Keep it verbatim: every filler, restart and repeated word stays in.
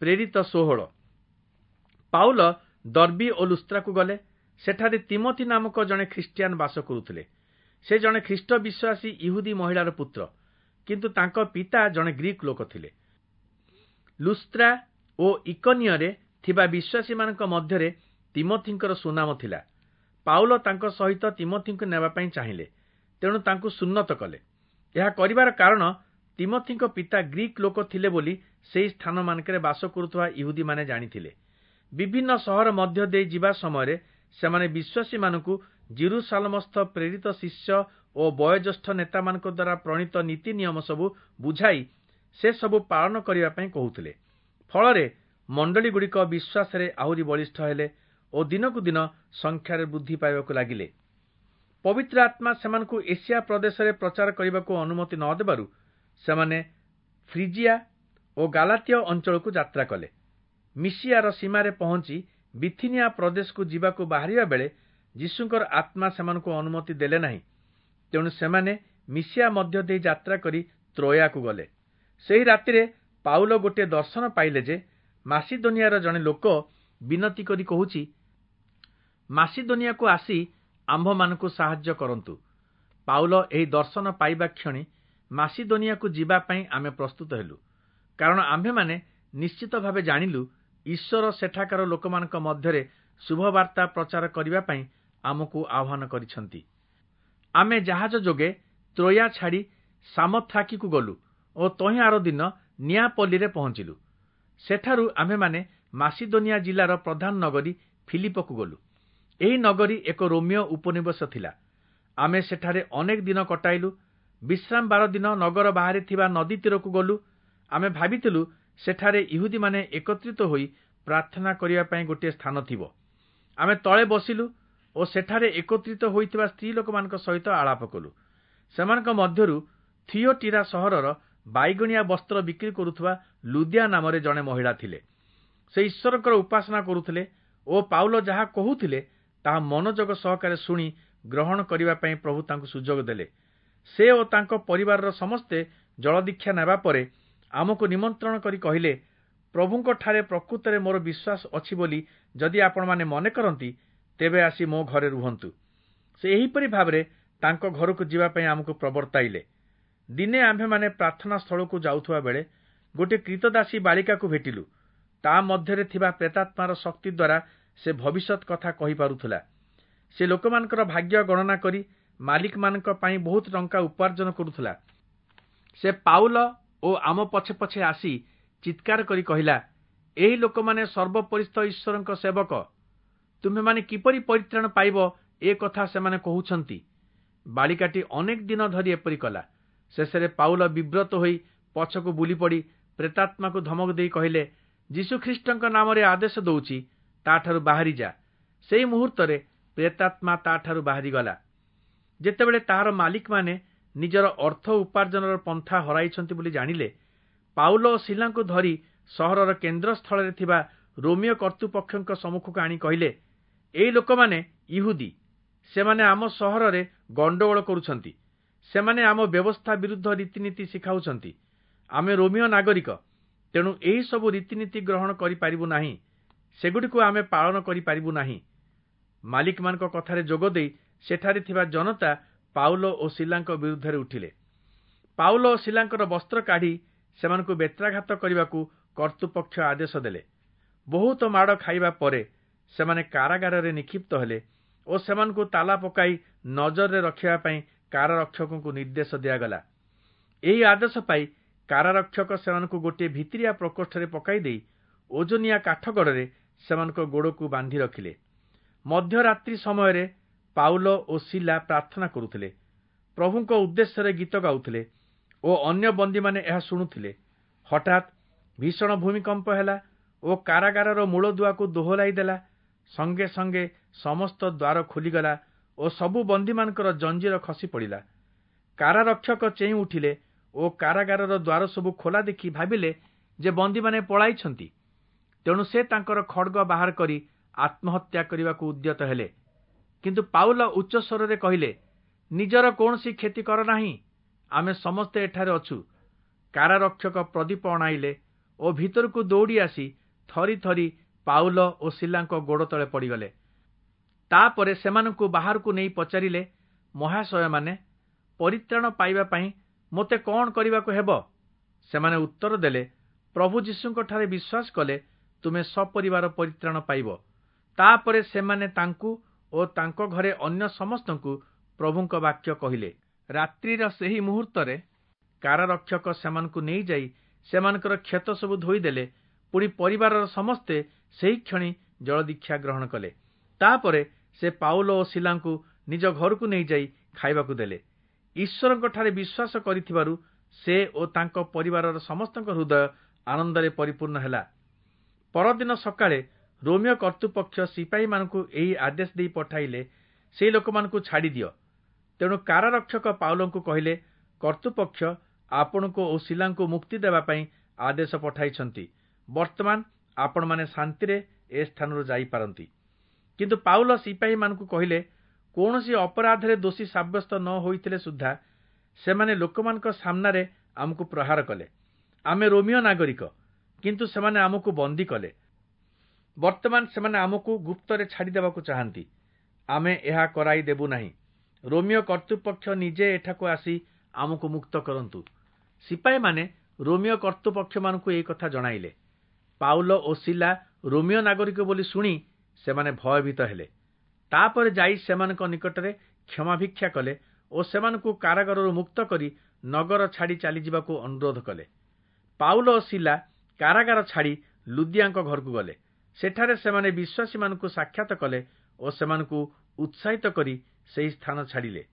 ପ୍ରେରିତ ଷୋହଳ। ପାଉଲ ଦର୍ବୀ ଓ ଲୁସ୍ତ୍ରାକୁ ଗଲେ। ସେଠାରେ ତିମୋଥି ନାମକ ଜଣେ ଖ୍ରୀଷ୍ଟିଆନ ବାସ କରୁଥିଲେ। ସେ ଜଣେ ଖ୍ରୀଷ୍ଟ ବିଶ୍ୱାସୀ ଇହୁଦୀ ମହିଳାର ପୁତ୍ର, କିନ୍ତୁ ତାଙ୍କ ପିତା ଜଣେ ଗ୍ରୀକ୍ ଲୋକ ଥିଲେ। ଲୁସ୍ତ୍ରା ଓ ଇକନିୟରେ ଥିବା ବିଶ୍ୱାସୀମାନଙ୍କ ମଧ୍ୟରେ ତିମୋଥିଙ୍କର ସୁନାମ ଥିଲା। ପାଉଲ ତାଙ୍କ ସହିତ ତିମୋଥିଙ୍କୁ ନେବା ପାଇଁ ଚାହିଁଲେ, ତେଣୁ ତାଙ୍କୁ ସୁନ୍ନତ କଲେ। ଏହା କରିବାର କାରଣ ତିମୋଥିଙ୍କ ପିତା ଗ୍ରୀକ୍ ଲୋକ ଥିଲେ ବୋଲି ସେହି ସ୍ଥାନମାନଙ୍କରେ ବାସ କରୁଥିବା ଇହୁଦୀମାନେ ଜାଣିଥିଲେ। ବିଭିନ୍ନ ସହର ମଧ୍ୟ ଦେଇ ଯିବା ସମୟରେ ସେମାନେ ବିଶ୍ୱାସୀମାନଙ୍କୁ ଯିରୂଶାଲମସ୍ଥ ପ୍ରେରିତ ଶିଷ୍ୟ ଓ ବୟୋଜ୍ୟେଷ୍ଠ ନେତାମାନଙ୍କ ଦ୍ୱାରା ପ୍ରଣୀତ ନୀତି ନିୟମ ସବୁ ବୁଝାଇ ସେ ସବୁ ପାଳନ କରିବା ପାଇଁ କହୁଥିଲେ। ଫଳରେ ମଣ୍ଡଳୀଗୁଡ଼ିକ ବିଶ୍ୱାସରେ ଆହୁରି ବଳିଷ୍ଠ ହେଲେ ଓ ଦିନକୁ ଦିନ ସଂଖ୍ୟାରେ ବୃଦ୍ଧି ପାଇବାକୁ ଲାଗିଲେ। ପବିତ୍ର ଆତ୍ମା ସେମାନଙ୍କୁ ଏସିଆ ପ୍ରଦେଶରେ ପ୍ରଚାର କରିବାକୁ ଅନୁମତି ନ ଦେବାରୁ ସେମାନେ ଫ୍ରିଜିଆ ଓ ଗାଲାତୀୟ ଅଞ୍ଚଳକୁ ଯାତ୍ରା କଲେ। ମିସିଆର ସୀମାରେ ପହଞ୍ଚି ବିଥିନିଆ ପ୍ରଦେଶକୁ ଯିବାକୁ ବାହାରିବା ବେଳେ ଯୀଶୁଙ୍କର ଆତ୍ମା ସେମାନଙ୍କୁ ଅନୁମତି ଦେଲେ ନାହିଁ। ତେଣୁ ସେମାନେ ମିସିଆ ମଧ୍ୟ ଦେଇ ଯାତ୍ରା କରି ତ୍ରୋୟାକୁ ଗଲେ। ସେହି ରାତିରେ ପାଉଲ ଗୋଟିଏ ଦର୍ଶନ ପାଇଲେ ଯେ ମାସିଦୋନିଆର ଜଣେ ଲୋକ ବିନତି କରି କହୁଛି, ମାସିଦୋନିଆକୁ ଆସି ଆମ୍ଭମାନଙ୍କୁ ସାହାଯ୍ୟ କରନ୍ତୁ। ପାଉଲ ଏହି ଦର୍ଶନ ପାଇବା କ୍ଷଣି ମାସିଦୋନିଆକୁ ଯିବା ପାଇଁ ଆମେ ପ୍ରସ୍ତୁତ ହେଲୁ, କାରଣ ଆମ୍ଭେମାନେ ନିଶ୍ଚିତ ଭାବେ ଜାଣିଲୁ ଈଶ୍ୱର ସେଠାକାର ଲୋକମାନଙ୍କ ମଧ୍ୟରେ ଶୁଭବାର୍ତ୍ତା ପ୍ରଚାର କରିବା ପାଇଁ ଆମକୁ ଆହ୍ୱାନ କରିଛନ୍ତି। ଆମେ ଜାହାଜ ଯୋଗେ ତ୍ରୋୟା ଛାଡ଼ି ସାମୋଥ୍ରାକିକୁ ଗଲୁ ଓ ତହିଁ ଆର ଦିନ ନିଆପଲ୍ଲୀରେ ପହଞ୍ଚିଲୁ। ସେଠାରୁ ଆମ୍ଭେମାନେ ମାସିଦୋନିଆ ଜିଲ୍ଲାର ପ୍ରଧାନ ନଗରୀ ଫିଲିପକୁ ଗଲୁ। ଏହି ନଗରୀ ଏକ ରୋମୀୟ ଉପନିବେଶ ଥିଲା। ଆମେ ସେଠାରେ ଅନେକ ଦିନ କଟାଇଲୁ। ବିଶ୍ରାମ ବାର ଦିନ ନଗର ବାହାରେ ଥିବା ନଦୀ ତୀରକୁ ଗଲୁ। ଆମେ ଭାବିଥିଲୁ ସେଠାରେ ଇହୁଦୀମାନେ ଏକତ୍ରିତ ହୋଇ ପ୍ରାର୍ଥନା କରିବା ପାଇଁ ଗୋଟିଏ ସ୍ଥାନ ଥିବ। ଆମେ ତଳେ ବସିଲୁ ଓ ସେଠାରେ ଏକତ୍ରିତ ହୋଇଥିବା ସ୍ତ୍ରୀ ଲୋକମାନଙ୍କ ସହିତ ଆଳାପ କଲୁ। ସେମାନଙ୍କ ମଧ୍ୟରୁ ଥିଓଟିରା ସହରର ବାଇଗଣିଆ ବସ୍ତ୍ର ବିକ୍ରି କରୁଥିବା ଲୁଦିଆ ନାମରେ ଜଣେ ମହିଳା ଥିଲେ। ସେ ଈଶ୍ୱରଙ୍କର ଉପାସନା କରୁଥିଲେ ଓ ପାଉଲ ଯାହା କହୁଥିଲେ ତାହା ମନୋଯୋଗ ସହକାରେ ଶୁଣି ଗ୍ରହଣ କରିବା ପାଇଁ ପ୍ରଭୁ ତାଙ୍କୁ ସୁଯୋଗ ଦେଲେ। ସେ ଓ ତାଙ୍କ ପରିବାରର ସମସ୍ତେ ଜଳଦୀକ୍ଷା ନେବା ପରେ ଆମକୁ ନିମନ୍ତ୍ରଣ କରି କହିଲେ, ପ୍ରଭୁଙ୍କଠାରେ ପ୍ରକୃତରେ ମୋର ବିଶ୍ୱାସ ଅଛି ବୋଲି ଯଦି ଆପଣମାନେ ମନେ କରନ୍ତି, ତେବେ ଆସି ମୋ ଘରେ ରୁହନ୍ତୁ। ସେ ଏହିପରି ଭାବରେ ତାଙ୍କ ଘରକୁ ଯିବା ପାଇଁ ଆମକୁ ପ୍ରବର୍ତ୍ତାଇଲେ। ଦିନେ ଆମ୍ଭେମାନେ ପ୍ରାର୍ଥନା ସ୍ଥଳକୁ ଯାଉଥିବା ବେଳେ ଗୋଟିଏ କ୍ରୀତଦାସୀ ବାଳିକାକୁ ଭେଟିଲୁ। ତା ମଧ୍ୟରେ ଥିବା ପ୍ରେତାତ୍ମାର ଶକ୍ତି ଦ୍ୱାରା ସେ ଭବିଷ୍ୟତ କଥା କହିପାରୁଥିଲା। ସେ ଲୋକମାନଙ୍କର ଭାଗ୍ୟ ଗଣନା କରି ମାଲିକମାନଙ୍କ ପାଇଁ ବହୁତ ଟଙ୍କା ଉପାର୍ଜନ କରୁଥିଲା। ସେ ପାଉଲ ଓ ଆମ ପଛେ ପଛେ ଆସି ଚିତ୍କାର କରି କହିଲା, ଏହି ଲୋକମାନେ ସର୍ବୋପରିସ୍ଥ ଈଶ୍ୱରଙ୍କ ସେବକ। ତୁମ୍ଭେମାନେ କିପରି ପରିତ୍ରାଣ ପାଇବ ଏ କଥା ସେମାନେ କହୁଛନ୍ତି। ବାଳିକାଟି ଅନେକ ଦିନ ଧରି ଏପରି କଲା। ଶେଷରେ ପାଉଲ ବିବ୍ରତ ହୋଇ ପଛକୁ ବୁଲିପଡ଼ି ପ୍ରେତାତ୍ମାକୁ ଧମକ ଦେଇ କହିଲେ, ଯୀଶୁଖ୍ରୀଷ୍ଟଙ୍କ ନାମରେ ଆଦେଶ ଦଉଛି, ତାଠାରୁ ବାହାରି ଯା। ସେଇ ମୁହୂର୍ତ୍ତରେ ପ୍ରେତାତ୍ମା ତାଠାରୁ ବାହାରିଗଲା। ଯେତେବେଳେ ତାହାର ମାଲିକମାନେ ନିଜର ଅର୍ଥ ଉପାର୍ଜନର ପନ୍ଥା ହରାଇଛନ୍ତି ବୋଲି ଜାଣିଲେ, ପାଉଲ ଓ ଶିଲାଙ୍କୁ ଧରି ସହରର କେନ୍ଦ୍ରସ୍ଥଳରେ ଥିବା ରୋମୀୟ କର୍ତ୍ତୃପକ୍ଷଙ୍କ ସମ୍ମୁଖକୁ ଆଣି କହିଲେ, ଏହି ଲୋକମାନେ ଇହୁଦୀ, ସେମାନେ ଆମ ସହରରେ ଗଣ୍ଡଗୋଳ କରୁଛନ୍ତି। ସେମାନେ ଆମ ବ୍ୟବସ୍ଥା ବିରୁଦ୍ଧ ରୀତିନୀତି ଶିଖାଉଛନ୍ତି। ଆମେ ରୋମୀୟ ନାଗରିକ, ତେଣୁ ଏହି ସବୁ ରୀତିନୀତି ଗ୍ରହଣ କରିପାରିବୁ ନାହିଁ। ସେଗୁଡ଼ିକୁ ଆମେ ପାଳନ କରିପାରିବୁ ନାହିଁ। ମାଲିକମାନଙ୍କ କଥାରେ ଯୋଗ ଦେଇ ସେଠାରେ ଥିବା ଜନତା ପାଉଲ ଓ ଶିଲାଙ୍କ ବିରୁଦ୍ଧରେ ଉଠିଲେ। ପାଉଲ ଓ ଶିଲାଙ୍କର ବସ୍ତ୍ର କାଢ଼ି ସେମାନଙ୍କୁ ବେତ୍ରାଘାତ କରିବାକୁ କର୍ତ୍ତୃପକ୍ଷ ଆଦେଶ ଦେଲେ। ବହୁତ ମାଡ଼ ଖାଇବା ପରେ ସେମାନେ କାରାଗାରରେ ନିକ୍ଷିପ୍ତ ହେଲେ ଓ ସେମାନଙ୍କୁ ତାଲା ପକାଇ ନଜରରେ ରଖିବା ପାଇଁ କାରାରକ୍ଷକଙ୍କୁ ନିର୍ଦ୍ଦେଶ ଦିଆଗଲା। ଏହି ଆଦେଶ ପାଇ କାରାରକ୍ଷକ ସେମାନଙ୍କୁ ଗୋଟିଏ ଭିତିରିଆ ପ୍ରକୋଷ୍ଠରେ ପକାଇ ଦେଇ ଓଜନିଆ କାଠଗଡ଼ରେ ସେମାନଙ୍କ ଗୋଡ଼କୁ ବାନ୍ଧି ରଖିଲେ। ମଧ୍ୟରାତ୍ରି ସମୟରେ ପାଉଲ ଓ ଶିଲା ପ୍ରାର୍ଥନା କରୁଥିଲେ, ପ୍ରଭୁଙ୍କ ଉଦ୍ଦେଶ୍ୟରେ ଗୀତ ଗାଉଥିଲେ ଓ ଅନ୍ୟ ବନ୍ଦୀମାନେ ଏହା ଶୁଣୁଥିଲେ। ହଠାତ୍ ଭୀଷଣ ଭୂମିକମ୍ପ ହେଲା ଓ କାରାଗାରର ମୂଳଦୁଆକୁ ଦୋହଲାଇ ଦେଲା। ସଙ୍ଗେ ସଙ୍ଗେ ସମସ୍ତ ଦ୍ୱାର ଖୋଲିଗଲା ଓ ସବୁ ବନ୍ଦୀମାନଙ୍କର ଜଞ୍ଜିର ଖସି ପଡ଼ିଲା। କାରାରକ୍ଷକ ଚେଇଁ ଉଠିଲେ ଓ କାରାଗାରର ଦ୍ୱାର ସବୁ ଖୋଲା ଦେଖି ଭାବିଲେ ଯେ ବନ୍ଦୀମାନେ ପଳାଇଛନ୍ତି। ତେଣୁ ସେ ତାଙ୍କର ଖଡ଼ଗ ବାହାର କରି ଆତ୍ମହତ୍ୟା କରିବାକୁ ଉଦ୍ୟତ ହେଲେ। କିନ୍ତୁ ପାଉଲ ଉଚ୍ଚ ସ୍ୱରରେ କହିଲେ, ନିଜର କୌଣସି କ୍ଷତି କର ନାହିଁ, ଆମେ ସମସ୍ତେ ଏଠାରେ ଅଛୁ। କାରାରକ୍ଷକ ପ୍ରଦୀପ ଅଣାଇଲେ ଓ ଭିତରକୁ ଦୌଡ଼ି ଆସି ଥରି ଥରି ପାଉଲ ଓ ଶିଲାଙ୍କ ଗୋଡ଼ ତଳେ ପଡ଼ିଗଲେ। ତାପରେ ସେମାନଙ୍କୁ ବାହାରକୁ ନେଇ ପଚାରିଲେ, ମହାଶୟମାନେ, ପରିତ୍ରାଣ ପାଇବା ପାଇଁ ମୋତେ କଣ କରିବାକୁ ହେବ? ସେମାନେ ଉତ୍ତର ଦେଲେ, ପ୍ରଭୁ ଯୀଶୁଙ୍କଠାରେ ବିଶ୍ୱାସ କଲେ ତୁମେ ସପରିବାର ପରିତ୍ରାଣ ପାଇବ। ତାପରେ ସେମାନେ ତାଙ୍କୁ ଓ ତାଙ୍କ ଘରେ ଅନ୍ୟ ସମସ୍ତଙ୍କୁ ପ୍ରଭୁଙ୍କ ବାକ୍ୟ କହିଲେ। ରାତ୍ରିର ସେହି ମୁହୂର୍ତ୍ତରେ କାରାରକ୍ଷକ ସେମାନଙ୍କୁ ନେଇଯାଇ ସେମାନଙ୍କର କ୍ଷତ ସବୁ ଧୋଇଦେଲେ। ପୁଣି ପରିବାରର ସମସ୍ତେ ସେହି କ୍ଷଣି ଜଳଦୀକ୍ଷା ଗ୍ରହଣ କଲେ। ତାପରେ ସେ ପାଉଲ ଓ ଶିଲାଙ୍କୁ ନିଜ ଘରକୁ ନେଇଯାଇ ଖାଇବାକୁ ଦେଲେ। ଈଶ୍ୱରଙ୍କଠାରେ ବିଶ୍ୱାସ କରିଥିବାରୁ ସେ ଓ ତାଙ୍କ ପରିବାରର ସମସ୍ତଙ୍କ ହୃଦୟ ଆନନ୍ଦରେ ପରିପୂର୍ଣ୍ଣ ହେଲା। ପରଦିନ ସକାଳେ ରୋମୀୟ କର୍ତ୍ତୃପକ୍ଷ ସିପାହୀମାନଙ୍କୁ ଏହି ଆଦେଶ ଦେଇ ପଠାଇଲେ, ସେହି ଲୋକମାନଙ୍କୁ ଛାଡ଼ିଦିଅ। ତେଣୁ କାରାରକ୍ଷକ ପାଉଲଙ୍କୁ କହିଲେ, କର୍ତ୍ତୃପକ୍ଷ ଆପଣଙ୍କୁ ଓ ଶିଲାଙ୍କୁ ମୁକ୍ତି ଦେବା ପାଇଁ ଆଦେଶ ପଠାଇଛନ୍ତି। ବର୍ତ୍ତମାନ ଆପଣମାନେ ଶାନ୍ତିରେ ଏ ସ୍ଥାନରୁ ଯାଇପାରନ୍ତି। କିନ୍ତୁ ପାଉଲ ସିପାହୀମାନଙ୍କୁ କହିଲେ, କୌଣସି ଅପରାଧରେ ଦୋଷୀ ସାବ୍ୟସ୍ତ ନ ହୋଇଥିଲେ ସୁଦ୍ଧା ସେମାନେ ଲୋକମାନଙ୍କ ସାମ୍ନାରେ ଆମକୁ ପ୍ରହାର କଲେ। ଆମେ ରୋମୀୟ ନାଗରିକ, କିନ୍ତୁ ସେମାନେ ଆମକୁ ବନ୍ଦୀ କଲେ। ବର୍ତ୍ତମାନ ସେମାନେ ଆମକୁ ଗୁପ୍ତରେ ଛାଡ଼ିଦେବାକୁ ଚାହାନ୍ତି। ଆମେ ଏହା କରାଇ ଦେବୁ ନାହିଁ। ରୋମୀୟ କର୍ତ୍ତୃପକ୍ଷ ନିଜେ ଏଠାକୁ ଆସି ଆମକୁ ମୁକ୍ତ କରନ୍ତୁ। ସିପାହୀମାନେ ରୋମୀୟ କର୍ତ୍ତୃପକ୍ଷମାନଙ୍କୁ ଏହି କଥା ଜଣାଇଲେ। ପାଉଲ ଓ ଶିଲା ରୋମୀୟ ନାଗରିକ ବୋଲି ଶୁଣି ସେମାନେ ଭୟଭୀତ ହେଲେ। ତାପରେ ଯାଇ ସେମାନଙ୍କ ନିକଟରେ କ୍ଷମାଭିକ୍ଷା କଲେ ଓ ସେମାନଙ୍କୁ କାରାଗାରରୁ ମୁକ୍ତ କରି ନଗର ଛାଡ଼ି ଚାଲିଯିବାକୁ ଅନୁରୋଧ କଲେ। ପାଉଲ ଓ ଶିଲା କାରାଗାର ଛାଡ଼ି ଲୁଦିଆଙ୍କ ଘରକୁ ଗଲେ। ସେଠାରେ ସେମାନେ ବିଶ୍ୱାସୀମାନଙ୍କୁ ସାକ୍ଷାତ କଲେ ଓ ସେମାନଙ୍କୁ ଉତ୍ସାହିତ କରି ସେହି ସ୍ଥାନ ଛାଡ଼ିଲେ।